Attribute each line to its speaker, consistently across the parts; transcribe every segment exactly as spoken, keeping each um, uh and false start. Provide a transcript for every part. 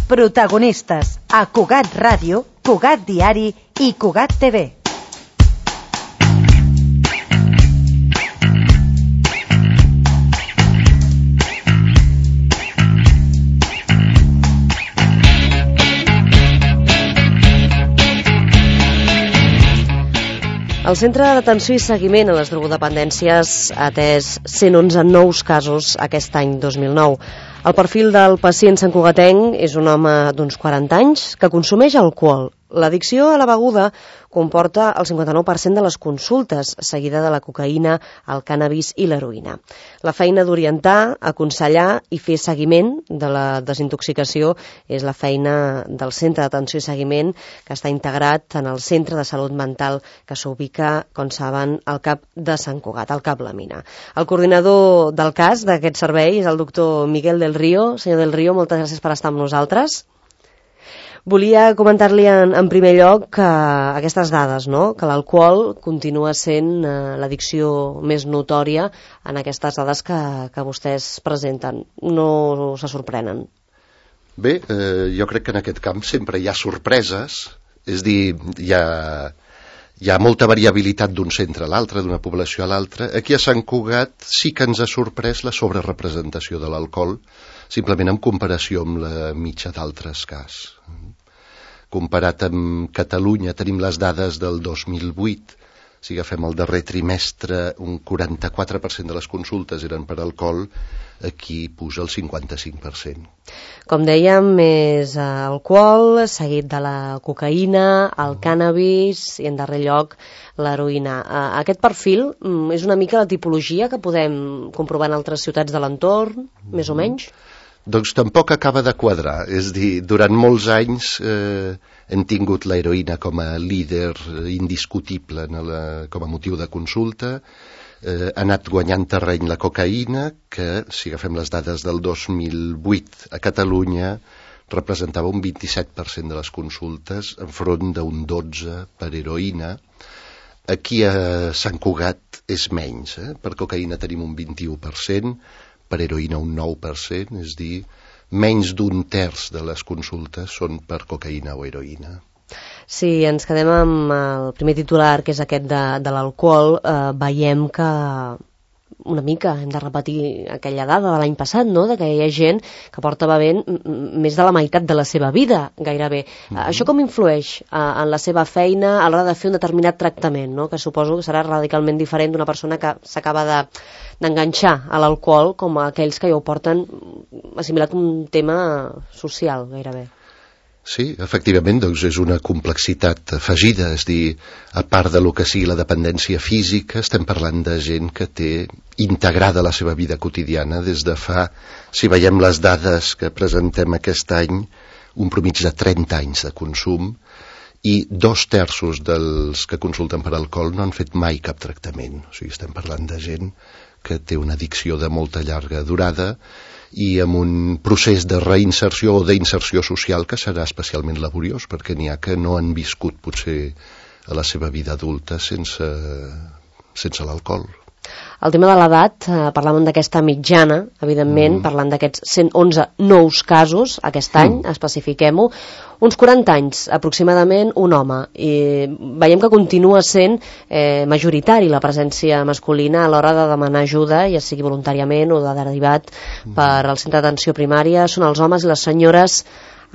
Speaker 1: Protagonistes a Cugat Ràdio, Cugat Diari i Cugat T V.
Speaker 2: El Centre d'Atenció i Seguiment a les Drogodependències ha atès cent onze nous casos aquest any dos mil nou. El perfil del pacient santcugatenc és un home d'uns quaranta anys que consumeix alcohol. L'addicció a la beguda comporta el cinquanta-nou per cent de les consultes, seguida de la cocaïna, el cànnabis i l'heroïna. La feina d'orientar, aconsellar i fer seguiment de la desintoxicació és la feina del Centre d'Atenció i Seguiment, que està integrat en el Centre de Salut Mental que s'ubica, com saben, al CAP de Sant Cugat, al CAP La Mina. El coordinador del cas d'aquest servei és el doctor Miguel del Río. Senyor del Río, moltes gràcies per estar amb nosaltres. Volia comentar-li en, en primer lloc que aquestes dades, no? Que l'alcohol continua sent eh, l'addicció més notòria en aquestes dades que, que vostès presenten. No se sorprenen?
Speaker 3: Bé, eh, jo crec que en aquest camp sempre hi ha sorpreses, és dir, hi ha, hi ha molta variabilitat d'un centre a l'altre, d'una població a l'altra. Aquí a Sant Cugat sí que ens ha sorprès la sobrerepresentació de l'alcohol, simplement en comparació amb la mitja d'altres casos. Comparat amb Catalunya, tenim les dades del dos mil vuit. Si agafem el darrer trimestre, un quaranta-quatre per cent de les consultes eren per alcohol, aquí puja el cinquanta-cinc per cent.
Speaker 2: Com dèiem, és alcohol, seguit de la cocaïna, el cànnabis i, en darrer lloc, l'heroïna. Aquest perfil és una mica la tipologia que podem comprovar en altres ciutats de l'entorn, més o menys?
Speaker 3: Doncs tampoc acaba de quadrar, és dir, durant molts anys eh, hem tingut l'heroïna com a líder indiscutible en la, com a motiu de consulta, eh, ha anat guanyant terreny la cocaïna, que, si agafem les dades del dos mil vuit a Catalunya, representava un vint-i-set per cent de les consultes, enfront d'un dotze per cent per heroïna. Aquí a Sant Cugat és menys, eh? Per cocaïna tenim un vint-i-u per cent, per heroïna un nou per cent, és dir, menys d'un terç de les consultes són per cocaïna o heroïna.
Speaker 2: Si ens quedem amb el primer titular, que és aquest de, de l'alcohol, eh, veiem que una mica hem de repetir aquella dada de l'any passat, no?, de que hi ha gent que porta bevent més de la meitat de la seva vida, gairebé. Mm-hmm. Això com influeix eh, en la seva feina a l'hora de fer un determinat tractament, no?, que suposo que serà radicalment diferent d'una persona que s'acaba de d'enganxar a l'alcohol com a aquells que ja ho porten assimilat un tema social, gairebé.
Speaker 3: Sí, efectivament, doncs és una complexitat afegida, és dir, a part de lo que sigui la dependència física, estem parlant de gent que té integrada la seva vida quotidiana des de fa, si veiem les dades que presentem aquest any, un promig de trenta anys de consum, i dos terços dels que consulten per alcohol no han fet mai cap tractament. O sigui, estem parlant de gent que té una addicció de molta llarga durada i amb un procés de reinserció o d'inserció social que serà especialment laboriós, perquè n'hi ha que no han viscut potser a la seva vida adulta sense, sense l'alcohol.
Speaker 2: El tema de l'edat, eh, parlàvem d'aquesta mitjana, evidentment, mm. parlant d'aquests cent onze nous casos aquest any, mm. especifiquem-ho, uns quaranta anys aproximadament un home, i veiem que continua sent eh, majoritari la presència masculina a l'hora de demanar ajuda, ja sigui voluntàriament o de derivat mm. per al centre d'atenció primària, són els homes i les senyores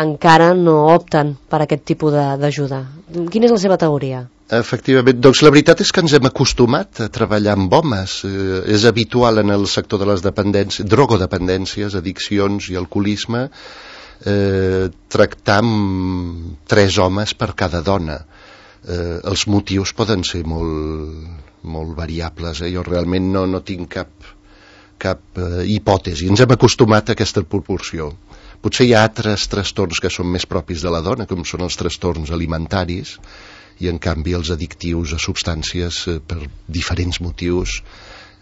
Speaker 2: encara no opten per aquest tipus d'ajuda. Quina és la seva teoria?
Speaker 3: Efectivament, doncs la veritat és que ens hem acostumat a treballar amb homes. Eh, és habitual en el sector de les dependències, drogodependències, addiccions i alcoholisme, eh, tractar amb tres homes per cada dona. Eh, els motius poden ser molt, molt variables. Eh? Jo realment no, no tinc cap, cap eh, hipòtesi. Ens hem acostumat a aquesta proporció. Potser hi ha altres trastorns que són més propis de la dona, com són els trastorns alimentaris, i en canvi els addictius a substàncies eh, per diferents motius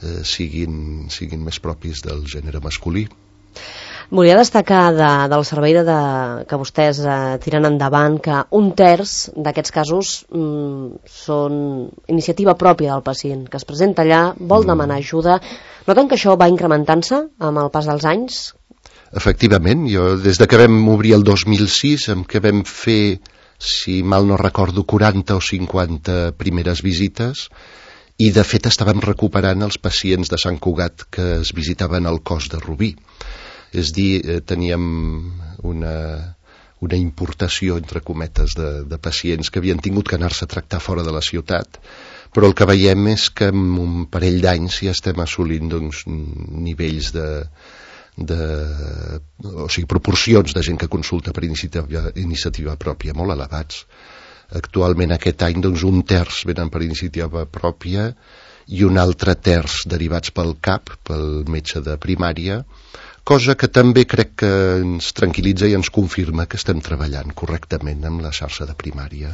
Speaker 3: eh, siguin, siguin més propis del gènere masculí.
Speaker 2: Volia destacar de, del servei de, de, que vostès eh, tiren endavant que un terç d'aquests casos mm, són iniciativa pròpia del pacient, que es presenta allà, vol mm. demanar ajuda. Noten que això va incrementant-se amb el pas dels anys?
Speaker 3: Efectivament, jo des de que vam obrir el dos mil sis, en què vam fer, si mal no recordo, quaranta o cinquanta primeres visites, i de fet estàvem recuperant els pacients de Sant Cugat que es visitaven al Cos de Rubí. És dir, eh, teníem una, una importació, entre cometes, de, de pacients que havien tingut que anar-se a tractar fora de la ciutat, però el que veiem és que en un parell d'anys ja estem assolint doncs, nivells de, de, o sigui, proporcions de gent que consulta per iniciativa, iniciativa pròpia molt elevats. Actualment aquest any doncs, un terç venen per iniciativa pròpia i un altre terç derivats pel C A P, pel metge de primària, cosa que també crec que ens tranquil·litza i ens confirma que estem treballant correctament amb la xarxa de primària.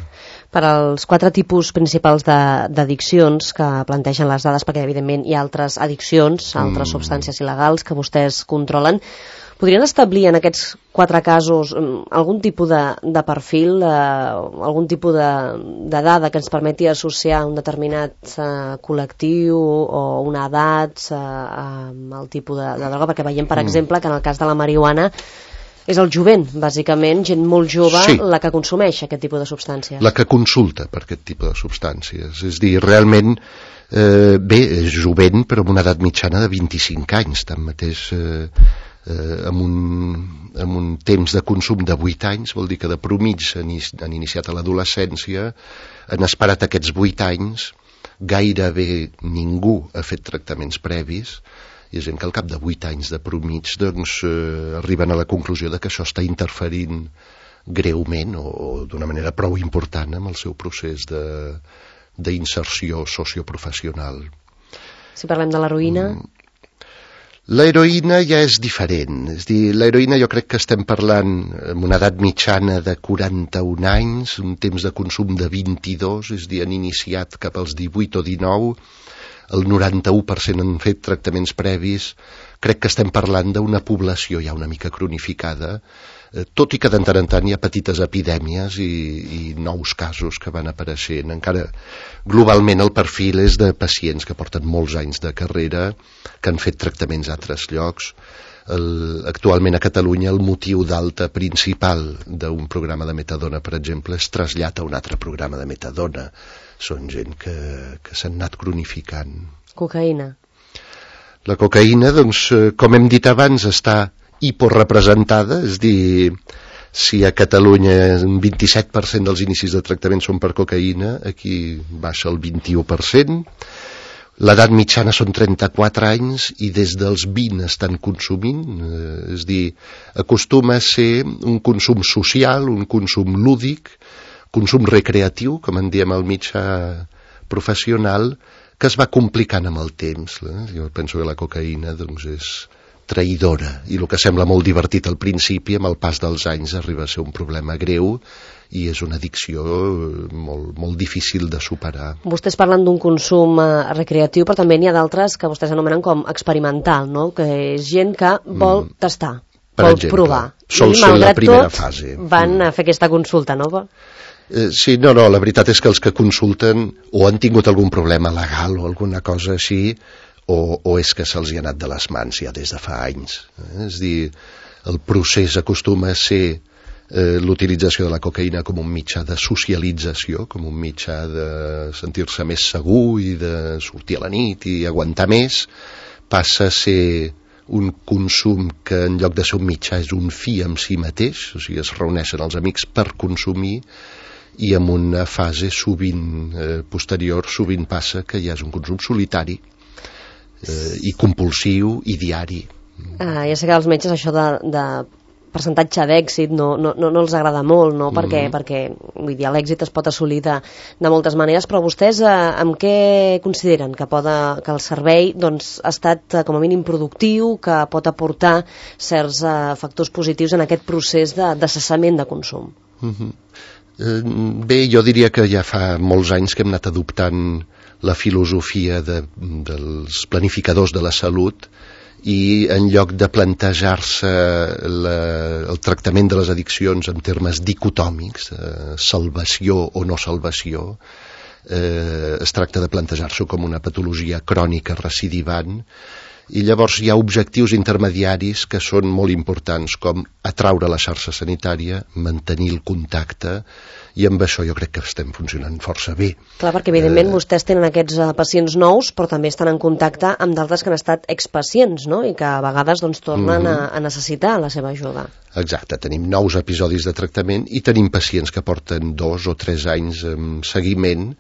Speaker 2: Per als quatre tipus principals d'addiccions que plantegen les dades, perquè evidentment hi ha altres addiccions, altres mm. substàncies il·legals que vostès controlen, podrien establir en aquests quatre casos algun tipus de, de perfil, eh, algun tipus de, de dada que ens permeti associar un determinat eh, col·lectiu o una edat eh, amb el tipus de, de droga? Perquè veiem, per mm. exemple, que en el cas de la marihuana és el jovent, bàsicament, gent molt jove, sí. la que consumeix aquest tipus de substàncies.
Speaker 3: La que consulta per aquest tipus de substàncies. És dir, realment, eh, bé, és jovent, però amb una edat mitjana de vint-i-cinc anys, tanmateix... Eh, Eh, amb, un, amb un temps de consum de vuit anys, vol dir que de promig han, han iniciat a l'adolescència, han esperat aquests vuit anys, gairebé ningú ha fet tractaments previs, i és gent que al cap de vuit anys de promig doncs, eh, arriben a la conclusió de que això està interferint greument o, o d'una manera prou important amb el seu procés d'inserció socioprofessional.
Speaker 2: Si parlem de l'heroïna... Mm.
Speaker 3: L'heroïna ja és diferent, és dir, l'heroïna jo crec que estem parlant amb una edat mitjana de quaranta-un anys, un temps de consum de vint-i-dos, és dir, han iniciat cap als divuit o dinou, el noranta-u per cent han fet tractaments previs, crec que estem parlant d'una població ja una mica cronificada, tot i que de tant en tant hi ha petites epidèmies i, i nous casos que van apareixent. Encara globalment el perfil és de pacients que porten molts anys de carrera, que han fet tractaments a altres llocs. El, actualment a Catalunya el motiu d'alta principal d'un programa de metadona, per exemple, és trasllat a un altre programa de metadona. Són gent que, que s'han anat cronificant.
Speaker 2: Cocaïna.
Speaker 3: La cocaïna, doncs, com hem dit abans, està hiporrepresentada, és dir, si a Catalunya un vint-i-set per cent dels inicis de tractament són per cocaïna, aquí baixa el vint-i-u per cent. L'edat mitjana són trenta-quatre anys i des dels vint estan consumint, eh, és dir, acostuma a ser un consum social, un consum lúdic, consum recreatiu, com en diem al mitjà professional, que es va complicant amb el temps. Eh? Jo penso que la cocaïna doncs, és traïdora, i el que sembla molt divertit al principi, amb el pas dels anys arriba a ser un problema greu i és una addicció molt, molt difícil de superar.
Speaker 2: Vostès parlen d'un consum eh, recreatiu, però també n'hi ha d'altres que vostès anomenen com experimental, no? Que és gent que vol mm. tastar,
Speaker 3: per
Speaker 2: vol
Speaker 3: exemple,
Speaker 2: provar.
Speaker 3: sol
Speaker 2: I,
Speaker 3: ser la primera
Speaker 2: tot,
Speaker 3: fase.
Speaker 2: Van mm. a fer aquesta consulta, no?
Speaker 3: Eh, sí, no, no, la veritat és que els que consulten o han tingut algun problema legal o alguna cosa així, o, o és que se'ls hi ha anat de les mans ja des de fa anys. Eh? És dir, el procés acostuma a ser eh, l'utilització de la cocaïna com un mitjà de socialització, com un mitjà de sentir-se més segur i de sortir a la nit i aguantar més, passa a ser un consum que en lloc de ser un mitjà és un fi en si mateix, o sigui, es reuneixen els amics per consumir, i en una fase sovint eh, posterior sovint passa que ja és un consum solitari eh, i compulsiu i diari.
Speaker 2: Ah, ja sé que als metges això de, de percentatge d'èxit no, no, no, no els agrada molt, no? Mm. Perquè, perquè vull dir, l'èxit es pot assolir de, de moltes maneres, però vostès eh, amb què consideren que, poda, que el servei doncs, ha estat eh, com a mínim productiu, que pot aportar certs eh, factors positius en aquest procés de, de cessament de consum?
Speaker 3: Mm-hmm. Bé, jo diria que ja fa molts anys que hem anat adoptant la filosofia de, dels planificadors de la salut i en lloc de plantejar-se la, el tractament de les addiccions en termes dicotòmics, eh, salvació o no salvació, eh, es tracta de plantejar-s'ho com una patologia crònica recidivant I llavors hi ha objectius intermediaris que són molt importants, com atraure la xarxa sanitària, mantenir el contacte, i amb això jo crec que estem funcionant força bé.
Speaker 2: Clar, perquè evidentment eh... vostès tenen aquests uh, pacients nous, però també estan en contacte amb d'altres que han estat expacients, no? I que a vegades doncs, tornen mm-hmm. a, a necessitar la seva ajuda.
Speaker 3: Exacte, tenim nous episodis de tractament i tenim pacients que porten dos o tres anys en seguiment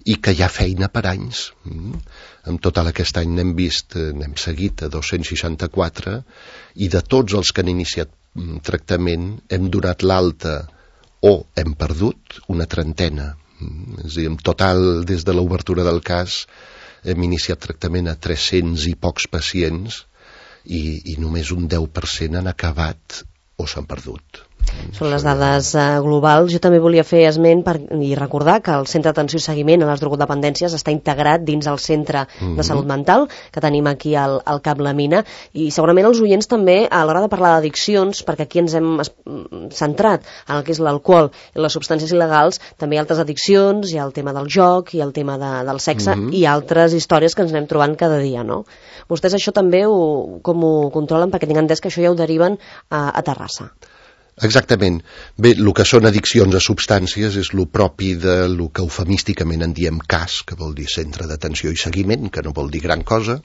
Speaker 3: i que hi ha feina per anys. Mm. En total aquest any n'hem vist, n'hem seguit a dos-cents seixanta-quatre i de tots els que han iniciat tractament hem donat l'alta o hem perdut una trentena. Mm. És a dir, en total, des de l'obertura del cas, hem iniciat tractament a tres-cents i pocs pacients i, i només un deu per cent han acabat o s'han perdut.
Speaker 2: Són les dades uh, globals. Jo també volia fer esment per, i recordar que el Centre d'Atenció i Seguiment a les Drogodependències està integrat dins el Centre mm-hmm. de Salut Mental que tenim aquí al, al Cap la Mina, i segurament els oients també a l'hora de parlar d'addiccions, perquè aquí ens hem centrat en el que és l'alcohol i les substàncies il·legals, també hi ha altres addiccions, hi ha el tema del joc, hi ha el tema de, del sexe mm-hmm. i altres històries que ens anem trobant cada dia, no? Vostès això també ho, com ho controlen? Perquè tinc entès que això ja ho deriven a, a Terrassa.
Speaker 3: Exactament. Bé, el que són addiccions a substàncies és el propi de lo que eufemísticament en diem C A S, que vol dir Centre d'Atenció i Seguiment, que no vol dir gran cosa,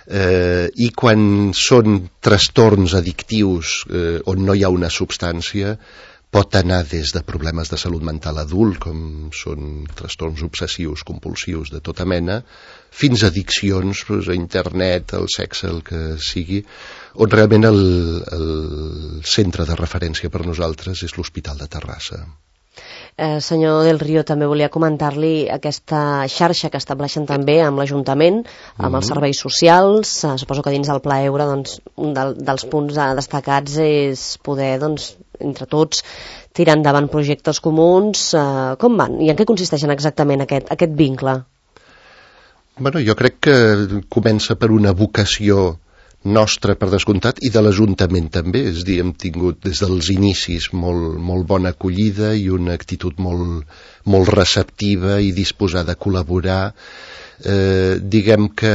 Speaker 3: eh, i quan són trastorns addictius eh, on no hi ha una substància, pot anar des de problemes de salut mental adult, com són trastorns obsessius, compulsius, de tota mena, fins a addiccions doncs, a internet, al sexe, el que sigui, on realment el, el centre de referència per nosaltres és l'Hospital de Terrassa.
Speaker 2: Eh, senyor Del Río, també volia comentar-li aquesta xarxa que estableixen també amb l'Ajuntament, amb mm-hmm. els serveis socials. Eh, suposo que dins del Pla Eure doncs, un del, dels punts destacats és poder, doncs, entre tots, tirar endavant projectes comuns. Eh, com van? I en què consisteixen exactament aquest, aquest vincle?
Speaker 3: Bueno, jo crec que comença per una vocació nostra, per descomptat, i de l'Ajuntament també. És a dir, hem tingut des dels inicis molt, molt bona acollida i una actitud molt, molt receptiva i disposada a col·laborar. Eh, diguem que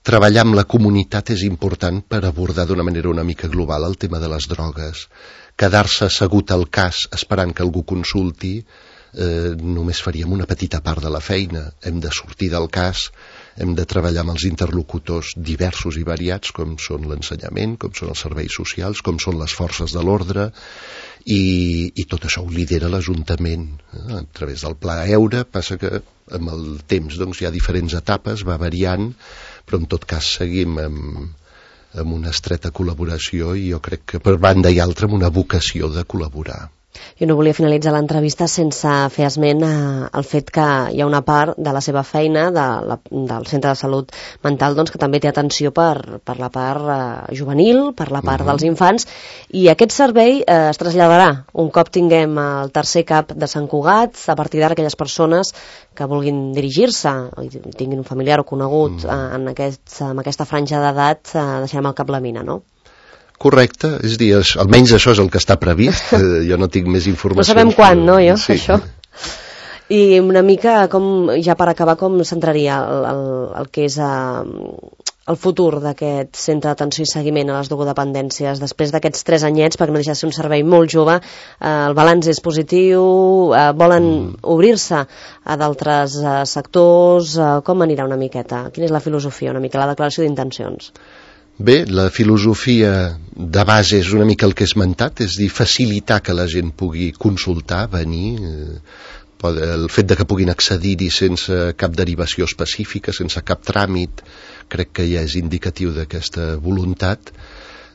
Speaker 3: treballar amb la comunitat és important per abordar d'una manera una mica global el tema de les drogues. Quedar-se assegut al cas esperant que algú consulti eh, només faríem una petita part de la feina. Hem de sortir del cas, hem de treballar amb els interlocutors diversos i variats, com són l'ensenyament, com són els serveis socials, com són les forces de l'ordre, i, i tot això ho lidera l'Ajuntament eh, a través del Pla Eure. Passa que amb el temps doncs, hi ha diferents etapes, va variant, però en tot cas seguim amb, amb una estreta col·laboració i jo crec que per banda i altra amb una vocació de col·laborar.
Speaker 2: Jo no volia finalitzar l'entrevista sense fer esment al fet que hi ha una part de la seva feina de la, del Centre de Salut Mental doncs, que també té atenció per, per la part eh, juvenil, per la part uh-huh. dels infants, i aquest servei eh, es traslladarà un cop tinguem el tercer cap de Sant Cugat. A partir d'ara aquelles persones que vulguin dirigir-se i tinguin un familiar o conegut uh-huh. eh, en, aquest, en aquesta franja d'edat, eh, deixarem el Cap la Mina, no?
Speaker 3: Correcte, és dir, almenys això és el que està previst, eh, jo no tinc més informació.
Speaker 2: No sabem quan, no, jo, sí. Això. I una mica, com ja per acabar, com centraria el, el, el que és uh, el futur d'aquest centre d'atenció i seguiment a les drogodependències després d'aquests tres anyets, perquè no deixa de ser un servei molt jove, uh, el balanç és positiu, uh, volen mm. obrir-se a d'altres uh, sectors, uh, com anirà una miqueta? Quina és la filosofia, una mica la declaració d'intencions?
Speaker 3: Bé, la filosofia de base és una mica el que he esmentat, és dir, facilitar que la gent pugui consultar, venir, eh, el fet de que puguin accedir-hi sense cap derivació específica, sense cap tràmit, crec que ja és indicatiu d'aquesta voluntat.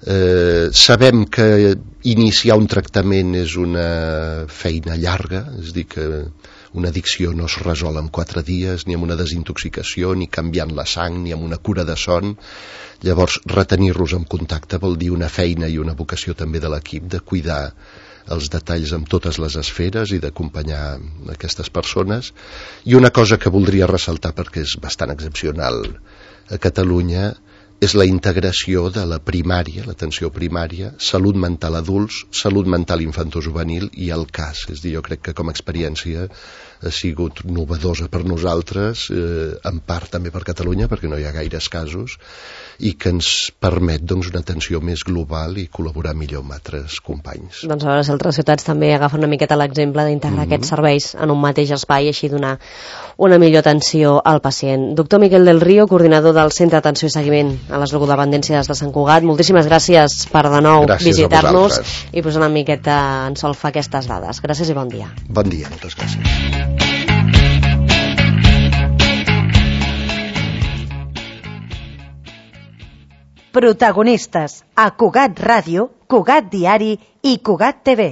Speaker 3: Eh, sabem que iniciar un tractament és una feina llarga, és dir, que una addicció no es resol en quatre dies, ni amb una desintoxicació, ni canviant la sang, ni amb una cura de son. Llavors, retenir-los en contacte vol dir una feina i una vocació també de l'equip de cuidar els detalls amb totes les esferes i d'acompanyar aquestes persones. I una cosa que voldria ressaltar, perquè és bastant excepcional a Catalunya, és la integració de la primària, l'atenció primària, salut mental adults, salut mental infantojuvenil i el C A S. És a dir, jo crec que com a experiència ha sigut novedosa per nosaltres, eh, en part també per Catalunya, perquè no hi ha gaires casos, i que ens permet doncs, una atenció més global i col·laborar millor amb altres companys.
Speaker 2: Doncs a veure si altres ciutats també agafen una miqueta l'exemple d'integrar mm-hmm. aquests serveis en un mateix espai i així donar una millor atenció al pacient. Doctor Miquel del Río, coordinador del Centre d'Atenció i Seguiment a les Drogodependències de Sant Cugat, moltíssimes gràcies per de nou visitar-nos i posar una miqueta en solfa aquestes dades. Gràcies i bon dia.
Speaker 3: Bon dia, moltes gràcies.
Speaker 1: Protagonistes a Cugat Ràdio, Cugat Diari i Cugat T V.